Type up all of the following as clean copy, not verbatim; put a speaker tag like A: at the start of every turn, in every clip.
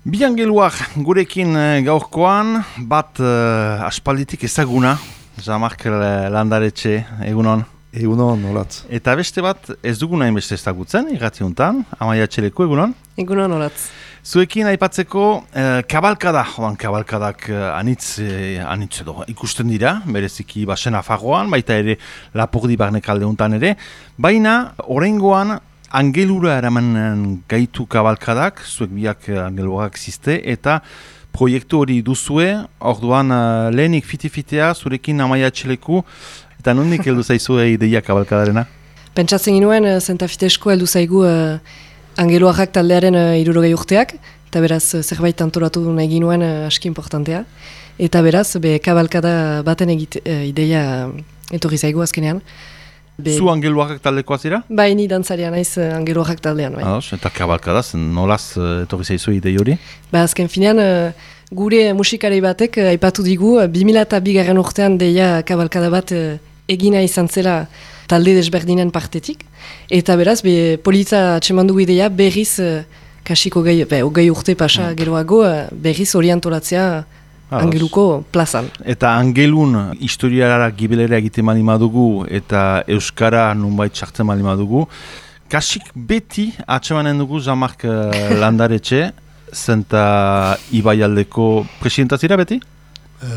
A: Bi angeluak gurekin gaurkoan, bat aspalditik ezaguna, Jean-Marc Landaretxe, egunon.
B: Egunon, olatz.
A: Eta beste bat ez duguna hainbeste ezagutzen, irratiuntan, Amaia Txeleko, egunon.
C: Egunon, olatz.
A: Zuekin aipatzeko kabalkada, kabalkadak anitz edo ikusten dira, bereziki basen afagoan, baita ere Lapurdi barnekalde untan ere, baina oraingoan angelura eraman gaitu kabalkadak, zuek biak angeluak ziste, eta proiektu hori duzue, orduan lehenik fiti-fitea, zurekin Amaia Txeleku, eta nondik heldu zaizu ideia kabalkadarena?
C: Pentsatzen ginuen, zentafitesko heldu zaigu angeluarrak taldearen 60 urteak, eta beraz zerbait antolatu nahi ginuen aski importantea. Eta beraz, kabalkada baten ideia etorri zaigu azkenean.
A: Zu angeluarrak taldekoa zira?
C: Bai, ni dantzaria naiz angeluarrak taldean. Bai.
A: Eta kabalkadaz, nolaz etorri zaizu idei hori?
C: Azken finean, gure musikari batek aipatu digu, 2002 urtean deia kabalkada bat egina izan zela talde desberdinen partetik. Eta beraz, politza atsemandu ideia berriz, kasiko hogei urte pasa geroago, berriz orientolatzea angeluko plazan.
A: Eta angelun historiara gibelera egiten mali madugu eta euskara nunbait sartzen mali madugu. Kasik beti atsemanen dugu Jean-Marc Landaretxe, zenta Ibaialdeko presidenta zira beti?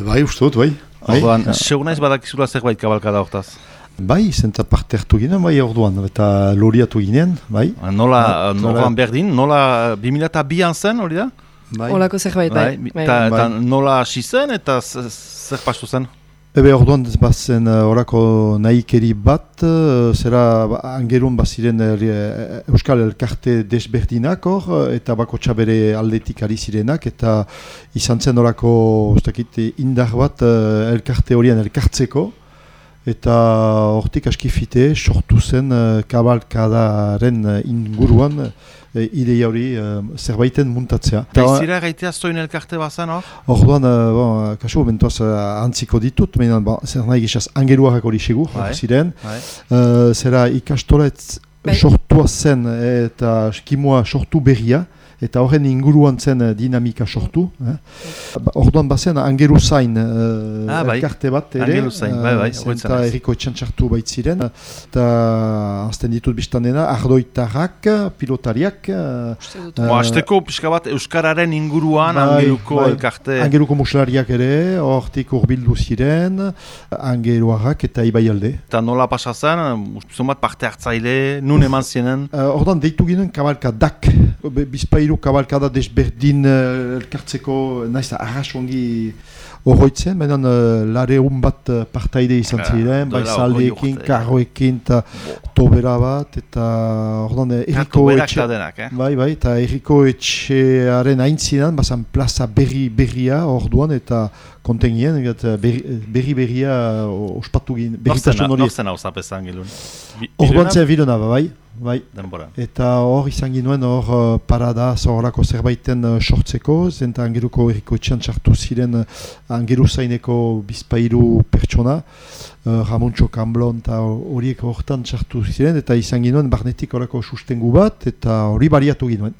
B: Bai, uste dut, bai.
A: Orduan, segunaiz badakizula zerbait kabalkada hortaz?
B: Bai, zenta parte hartu ginen, bai orduan, eta loriatu ginen, bai.
A: Nola berdin, nola 2002an zen, hori da?
C: Olako zerbait, bai.
A: Eta nola hasi zen eta zer pastu zen?
B: Orduan bazen orako nahikeri bat, zera angelun baziren Euskal Elkarte desberdinak hor, eta bakotxa bere aldetik ari zirenak, eta izan zen orako indar bat elkarte horien elkartzeko, eta hortik askifite sortu zen kabalkadaren inguruan ideia hori zerbaiten muntatzea.
A: Baizira gaitea zoin elkarte bazan hor?
B: Orduan, kasu momentuaz antziko ditut, zer nahi gizaz angeluarrak hori segur, ziren. Zera ikastolet sortua zen eta kimua sortu berria, eta horren inguruan zen dinamika sortu. Orduan bazen angelu zain elkarte bat ere, eta erriko etxantxartu baitziren, eta azten ditut biztan dena, ardoitarrak, pilotariak.
A: Azteko pixka bat Euskararen inguruan angeluko elkarte.
B: Angeluko muslariak ere, hortik urbildu ziren, angeluarrak eta Ibaialde. Eta
A: nola pasazan, bat parte hartzaile, nun eman zienen?
B: Orduan deitu ginen kabalkadak, bizpailu kabalkada desberdin elkartzeko, naiz da arrasongi horroitzen, baina lareun bat partaide izan ziren, bai zaldeekin, karroekin, eta tobera bat, eta ordan erriko etxe... Bai, eta erriko etxearen aintzinan, bazan plaza berria orduan, eta kontengien, berria ospatu ginen, berritasun hori.
A: Norzen hau zapezan gilun?
B: Orduan zen Vilona, bai.
A: Denbora.
B: Eta hor izan ginuen hor parada zorako zerbaiten sortzeko, zenta angeluko erriko etxean txartu ziren angelu zaineko bizpairu pertsona, Ramontxo Kamblon eta horiek hortan txartu ziren, eta izan ginuen barnetik horako sustengu bat, eta hori bariatu ginuen.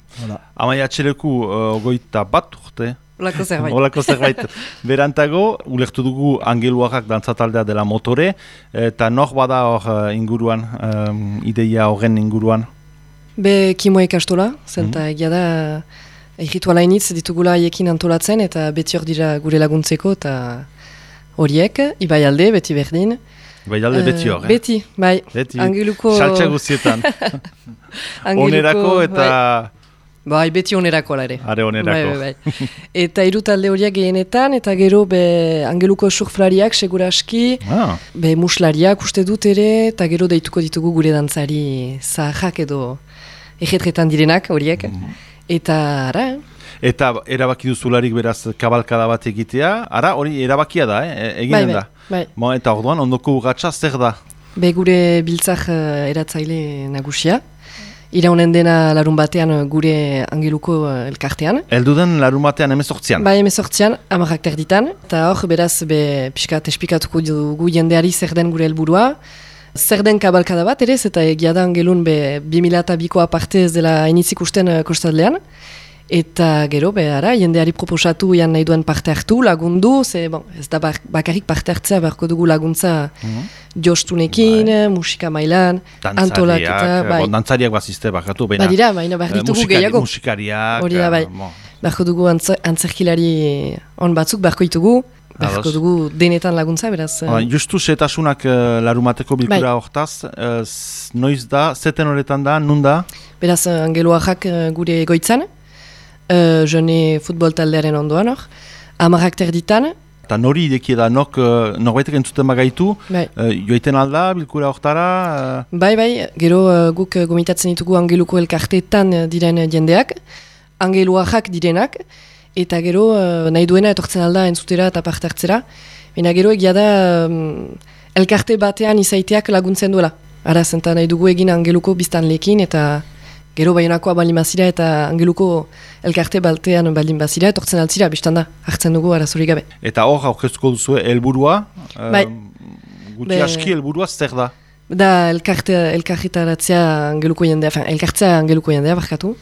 A: Amaia Txeleku ogoita bat urte?
C: Olako
A: zerbait. Berantago, ulertu dugu angeluarrak dantzataldea dela motore, eta nor bada hor inguruan, ideia horren inguruan?
C: Kimo ikastola, zenta egia da errituala initz ditugula haiekin antolatzen, eta beti hor dira gure laguntzeko, eta horiek, Ibaialde, beti berdin.
A: Ibaialde beti hor,
C: Beti, bai.
A: Angeluko... Saltsa guztietan. Onerako eta...
C: Bai, beti onerako ala ere.
A: Are onerako.
C: Bai. Eta hiru talde horiak gehienetan, eta gero angeluko surflariak seguraski, muslariak uste dut ere, eta gero deituko ditugu gure dantzari zaharrak edo ejetretan direnak horiek. Eta ara,
A: Eta erabaki duzularik beraz kabalkada bat egitea, ara hori erabakia da, eginen da.
C: Bai.
A: Eta orduan, ondoko urratsa zer da?
C: Gure biltzak eratzaile nagusia. Iraunen dena larun batean gure angeluko elkartean.
A: Elduden larun batean 18an?
C: Bai, 18an, 10 terditan. Eta hor, beraz, pixkat esplikatuko dugu jendeari zer den gure helburua. Zer den kabalkada bat, ere, eta egia da angelun 2002ko aparte ez dela initzik usten kostadlean. Eta gero, behara, jendeari proposatu ian nahi duen parte hartu, lagundu, ez da bakarrik parte hartzea beharko dugu laguntza jostunekin, musika mailan, antolaketa.
A: Dantzariak bazizte bakatu,
C: baina behar ditugu gehiago.
A: Musikariak.
C: Hori da, bai. Beharko dugu antzerkilari on batzuk, beharko ditugu. Beharko dugu denetan laguntza, beraz.
A: Justu setasunak larumateko bilkura hortaz, noiz da, zeten horretan da, nun da?
C: Beraz, Angeluajak gure goitzan, jone futbol taldearen ondoan hor, 10 terditan.
A: Eta nori ideki da, norbaitek entzuten bagaitu, joiten alda bilkura hortara?
C: Bai, gero guk gomitatzen ditugu Angeluko elkarteetan diren jendeak, Angeluajak direnak, eta gero nahi duena etortzen alda entzutera eta parte hartzera. Baina gero egia da elkarte batean izaiteak laguntzen duela. Ara zenta nahi dugu egin Angeluko biztanleekin eta gero Baionakoa baldin bazira eta Angeluko elkarte batean baldin bazira etortzen altzira, biztanda hartzen dugu arazorik gabe.
A: Eta hor aurkeztuko duzu helburua?
C: Bai.
A: Guti aski helburua zer da?
C: Da elkarretaratzea Angeluko jendea, elkartzea Angeluko jendea barkatu.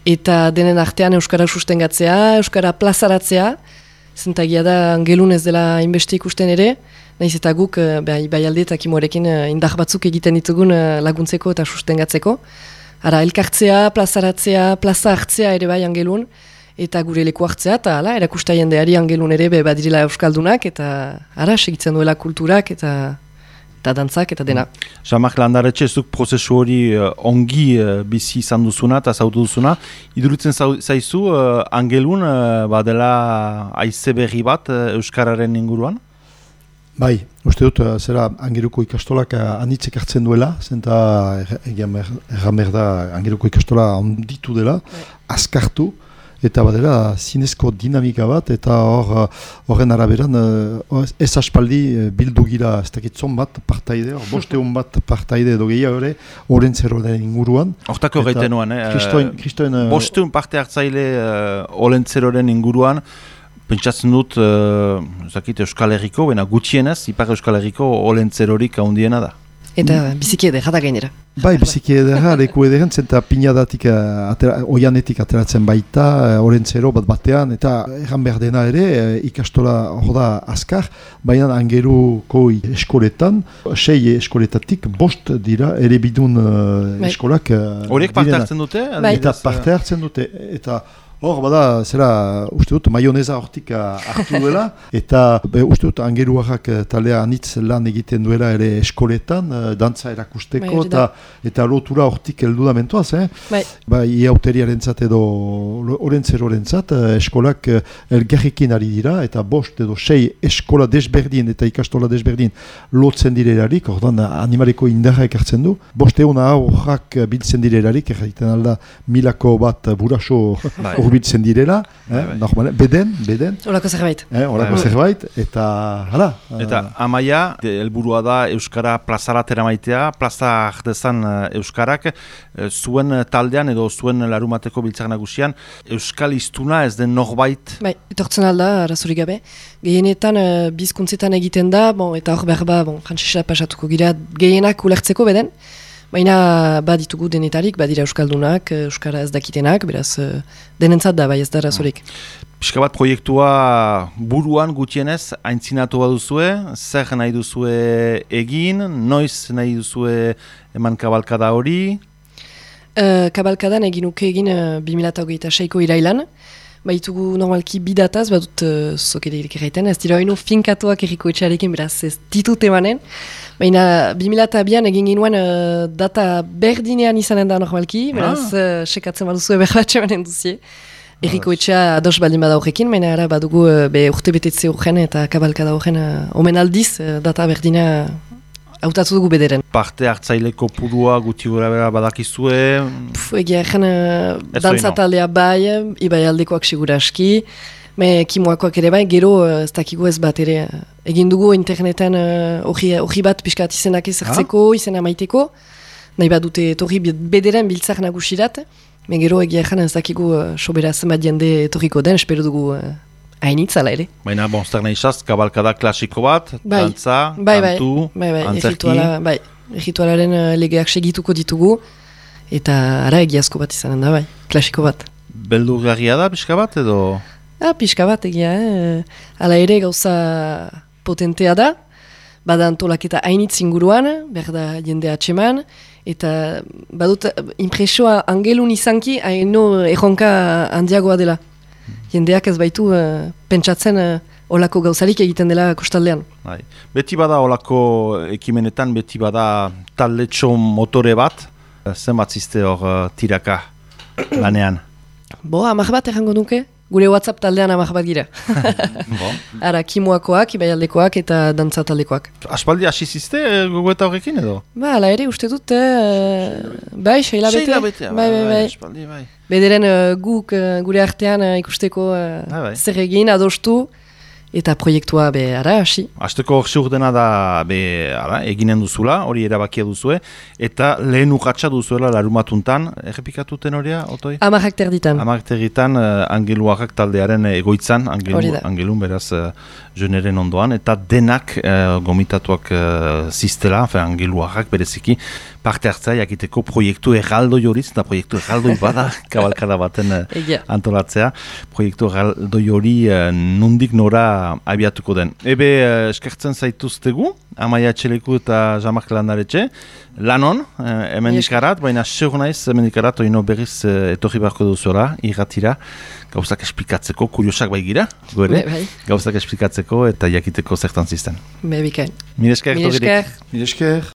C: Eta denen artean Euskara sustengatzea, Euskara plazaratzea, zentagia da Angelun ez dela inbeste ikusten ere, nahiz eta guk bai alde eta kimorekin indar batzuk egiten ditugun laguntzeko eta sustengatzeko. Ara, elkartzea, plazaratzea, plaza hartzea ere bai Angelun, eta gure leku hartzea, eta erakusta jendeari Angelun ere badirela Euskaldunak, eta ara, segitzen duela kulturak, eta dantzak eta dena.
A: Jean-Marc Landaretxe, zuk prozesu hori ongi bizi izan duzuna eta zautu duzuna. Iduritzen zaizu, Angelun badela haize berri bat Euskararen inguruan?
B: Bai, uste dut, zera Angeluko ikastolak anitzek hartzen duela, zenta erramer da Angeluko ikastola onditu dela, azkartu, eta badera zinezko dinamika bat, eta horren araberan ez aspaldi bildu gira ez dakitzon bat partaide, bosteun bat partaide edo gehiago ere, oren zeroaren inguruan.
A: Hortako gaiten nuan, bosteun parte hartzaile oren zeroaren inguruan, pentsatzen dut, Euskal Herriko, gutxienez, Ipar Euskal Herriko oren zerorik handiena da.
C: Eta biziki edera da gainera.
B: Bai, biziki edera, leku ederen, zenta pinadatik, oianetik ateratzen baita, orentzero bat batean, eta erran behar dena ere, ikastola hor da azkar, baina Angeluko eskoletan, 6 eskoletatik, 5 dira, ere bidun eskolak.
A: Horiek parte hartzen dute?
B: Eta parte hartzen dute, eta hor, bada, zera, uste dut, maioneza hortik hartu duela, eta uste dut, Angeluajak talea anitz lan egiten duela ere eskoletan, dantza erakusteko, eta lotura hortik heldu da mentoaz, iauteriaren zat edo orentzeraren zat, eskolak elgarrikin ari dira, eta 5 edo 6 eskola desberdin eta ikastola desberdin lotzen direlarik, ordan animaleko indarra ekartzen du, 500 aurrak biltzen direlarik, erraiten alda milako bat buraso urbiltzen direla, normal, beden.
C: Horako zerbait.
B: Horako zerbait, eta hala.
A: Eta amaia, helburua da Euskara plazaratera maitea, plaza dezan Euskarak, zuen taldean edo zuen larumateko biltzak nagusian, Euskal hiztuna ez den norbait?
C: Bai, etortzen alda, arazorik gabe. Gehienetan bizkuntzetan egiten da, eta hor berba, frantzesa pasatuko gira, gehienak ulertzeko beden, baina baditugu denetarik, badira Euskaldunak, Euskara ez dakitenak, beraz denentzat da, bai ez da arazorik.
A: Pixka bat proiektua buruan gutienez, aintzinatu baduzue, zer nahi duzue egin, noiz nahi duzue eman kabalkada hori?
C: Kabalkadan egin 2026ko irailan, baitugu normalki bidataz, badut zokederik erraiten, ez dira oino finkatuak erriko etxarekin, beraz ez ditut emanen, baina 2002an egin ginuen data berdinean izanen da normalki, beraz sekatzen baduzu berbatxe manen duzie. Erriko etxea ados baldin bada horrekin, baina ara badugu urte betetze horren eta kabalkada horren omen aldiz data berdina hautatu dugu bederen.
A: Parte hartzaileko purua guti gora bera badakizue?
C: Egia egen dantzataldea bai, ibai aldekoak sigura aski, kimoakoak ere bai, gero ez dakigu ez bat ere. Egin dugu interneten hori bat pixkat izenak ezartzeko, izena maiteko, nahi bat dute etorri bederen biltzak nagusirat, gero egia egen ez dakigu sobera zenbat jende etorriko den, espero dugu hainitzala ere.
A: Baina, zer nahi izaz, kabalkada klasiko bat, dantza, kantu, antzerki.
C: Bai, erritualaren legeak segituko ditugu, eta ara egiazko bat izanen da, bai, klasiko bat.
A: beldurgarria da, pixka bat, edo?
C: Pixka bat egia, Hala ere gauza potentea da, bada antolaketa hainitz inguruan, behar da jende atseman, eta badut impresioa angelun izanki, haino erronka handiagoa dela. Jendeak ez baitu pentsatzen olako gauzarik egiten dela kostaldean.
A: Bai. Beti bada olako ekimenetan, beti bada taldetxo motore bat, zenbat ziste hor tiraka lanean?
C: 10 bat errango nuke, gure WhatsApp taldean 10 bat gira. Ara, kimoakoak, ibaialdekoak eta dantza taldekoak.
A: Aspaldi hasi ziste gogoeta horrekin edo?
C: Hala ere, uste dut, bai, 6 hilabete. Bai.
A: Aspaldi, bai.
C: Bederen guk gure artean ikusteko zer egin, adostu, eta proiektua ara hasi.
A: Azteko ziur dena da eginen duzula, hori erabakia duzue, eta lehen urratxa duzuela larumatuntan, errepikatuten horia, Otoi?
C: 10 terditan.
A: 10 terditan Angeluarrak taldearen egoitzan, Angelun beraz jeneren ondoan, eta denak gomitatuak ziztela, Angeluarrak bereziki, parte hartzea jakiteko proiektu erraldoi horiz, eta proiektu erraldoi bada kabalkada baten antolatzea. Proiektu erraldoi hori nundik nora abiatuko den. Ebe eskertzen zaituztegu, Amaia Etxeleku eta Jean-Marc Landaretxe, lanon, hemen ikarat, baina seur naiz hemen ikarat, oino berriz etorri beharko duzuela, irratira, gauzak esplikatzeko, kuriosak bai gira, gauzak esplikatzeko eta jakiteko zertan zizten.
C: Bikain.
A: Mil esker.
C: Mil esker.